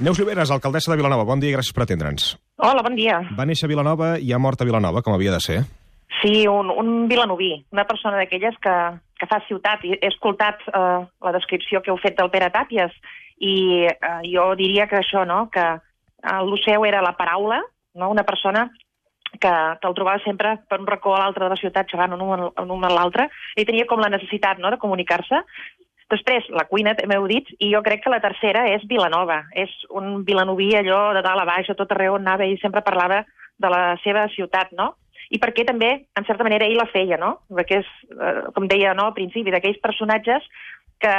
Neus Lloberes, alcaldessa de Vilanova, bon dia i gràcies per atendre'ns. Hola, bon dia. Va néixer a Vilanova i ha mort a Vilanova, com havia de ser. Sí, un vilanoví, una persona d'aquelles que fa ciutat. He escoltat la descripció que heu fet del Pere Tàpies i jo diria que això, no?, que el seu era la paraula, no?, una persona que te'l trobava sempre per un racó a l'altre de la ciutat, xerrant un a l'altre, i tenia com la necessitat, no?, de comunicar-se. Després, la cuina, també heu dit, i jo crec que la tercera és Vilanova. És un vilanoví allò de dalt a baix, a tot arreu on anava, i sempre parlava de la seva ciutat, no? I perquè també, en certa manera, ell la feia, no? Perquè és, com deia al principi, d'aquells personatges que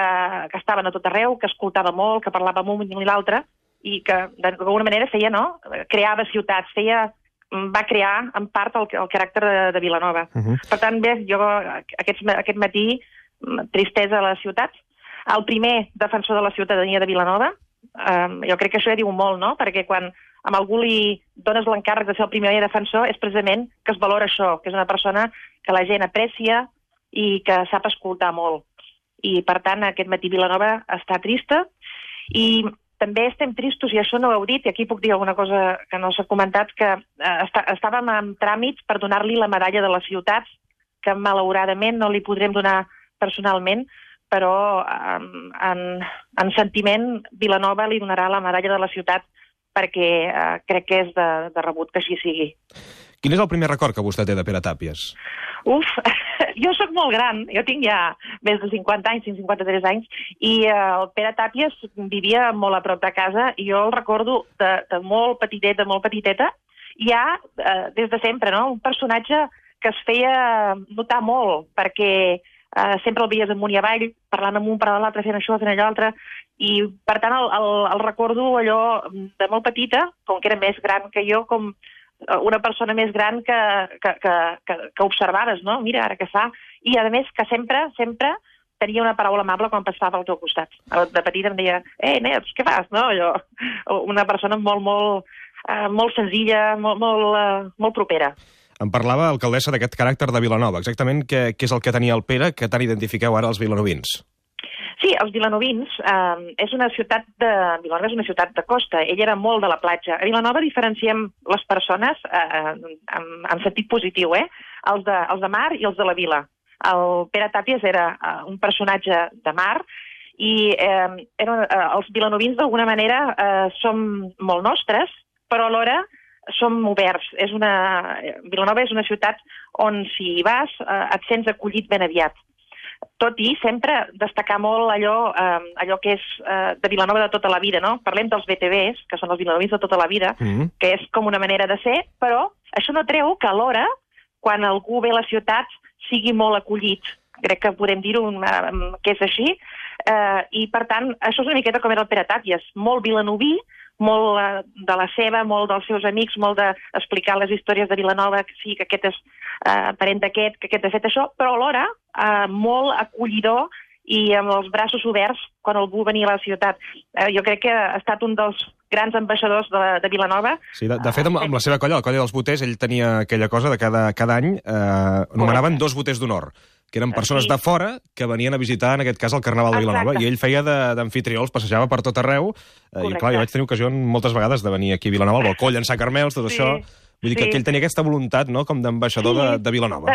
estaven a tot arreu, que escoltava molt, que parlava amb un i l'altre, i que d'alguna manera feia, no?, creava ciutats, va crear en part el caràcter de Vilanova. Per tant, bé, jo aquest matí, tristesa a la ciutat. El primer defensor de la ciutadania de Vilanova, jo crec que això ja diu molt, no?, perquè quan a algú li dones l'encàrrec de ser el primer defensor és precisament que es valora això, que és una persona que la gent aprecia i que sap escoltar molt. I, per tant, aquest matí Vilanova està trista i també estem tristos, i això no ho heu dit, i aquí puc dir alguna cosa que no s'ha comentat, que estàvem en tràmits per donar-li la medalla de les ciutats, que malauradament no li podrem donar personalment, però en sentiment Vilanova li donarà la medalla de la ciutat perquè crec que és de rebut que així sigui. Quin és el primer record que vostè té de Pere Tàpies? Jo sóc molt gran, jo tinc ja més de 50 anys, tinc 53 anys, i el Pere Tàpies vivia molt a prop de casa, i jo el recordo de molt petiteta, ja des de sempre, no? Un personatge que es feia notar molt, perquè sempre el veies amunt i avall, parlant amb un, parlant amb l'altre, fent això, fent allò altre, i per tant el recordo allò de molt petita, com que era més gran que jo, com una persona més gran que observaves, no? Mira, ara què fa. I, a més, que sempre tenia una paraula amable quan passava al teu costat. De petita em deia, Neus, què fas? No? Una persona molt senzilla, molt propera. Em parlava, alcaldessa, d'aquest caràcter de Vilanova. Exactament què és el que tenia el Pere que tant identifiqueu ara els vilanovins? Sí, els vilanovins, Vilanova és una ciutat de costa. Ell era molt de la platja. A Vilanova diferenciem les persones en sentit positiu, els de mar i els de la vila. El Pere Tàpies era un personatge de mar i els vilanovins d'alguna manera som molt nostres, però alhora som oberts. Vilanova és una ciutat on si hi vas et sents acollit ben aviat. Tot i sempre destacar molt allò que és de Vilanova de tota la vida, no? Parlem dels BTVs, que són els vilanovins de tota la vida, que és com una manera de ser, però això no treu que alhora, quan algú ve a la ciutat, sigui molt acollit. Crec que podem dir-ho que és així. I, per tant, això és una miqueta com era el Pere Tàpies, molt vilanoví, molt de la seva, molt dels seus amics, molt d'explicar les històries de Vilanova, que sí, que aquest és parent d'aquest, que aquest ha fet això, però alhora molt acollidor i amb els braços oberts quan algú venia a la ciutat. Jo crec que ha estat un dels grans ambaixadors de Vilanova. Sí, de fet, amb la seva colla, la colla dels boters, ell tenia aquella cosa de cada any nomenaven 2 boters d'honor, que eren persones de fora que venien a visitar, en aquest cas, el Carnaval de Vilanova, i ell feia d'amfitrió, els passejava per tot arreu, i clar, jo vaig tenir ocasió moltes vegades de venir aquí a Vilanova, al balcó, llençar carmels, tot això. Vull dir que ell tenia aquesta voluntat, no?, com d'ambaixador de Vilanova.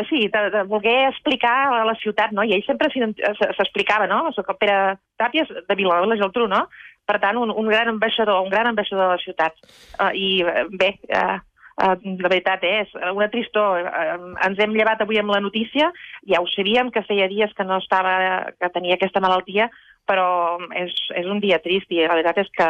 Sí, de voler explicar a la ciutat, no?, i ell sempre s'explicava, no?, soc el Pere Tàpies de Vilanova i la Geltrú, no?, per tant, un gran ambaixador de la ciutat. I bé, la veritat és una tristor. Ens hem llevat avui amb la notícia, ja ho sabíem que feia dies que tenia aquesta malaltia, però és un dia trist i la veritat és que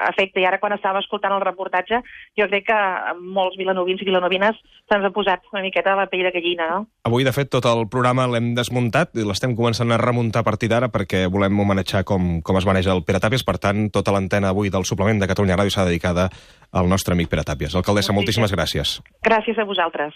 afecta. I ara quan estava escoltant el reportatge jo crec que molts vilanovins i vilanovines se'ns ha posat una miqueta a la pell de gallina, no? Avui, de fet, tot el programa l'hem desmuntat i l'estem començant a remuntar a partir d'ara perquè volem homenatjar com es maneja el Pere Tàpies. Per tant, tota l'antena avui del suplement de Catalunya Ràdio s'ha dedicada al nostre amic Pere Tàpies. Alcaldessa, moltíssimes gràcies. Gràcies a vosaltres.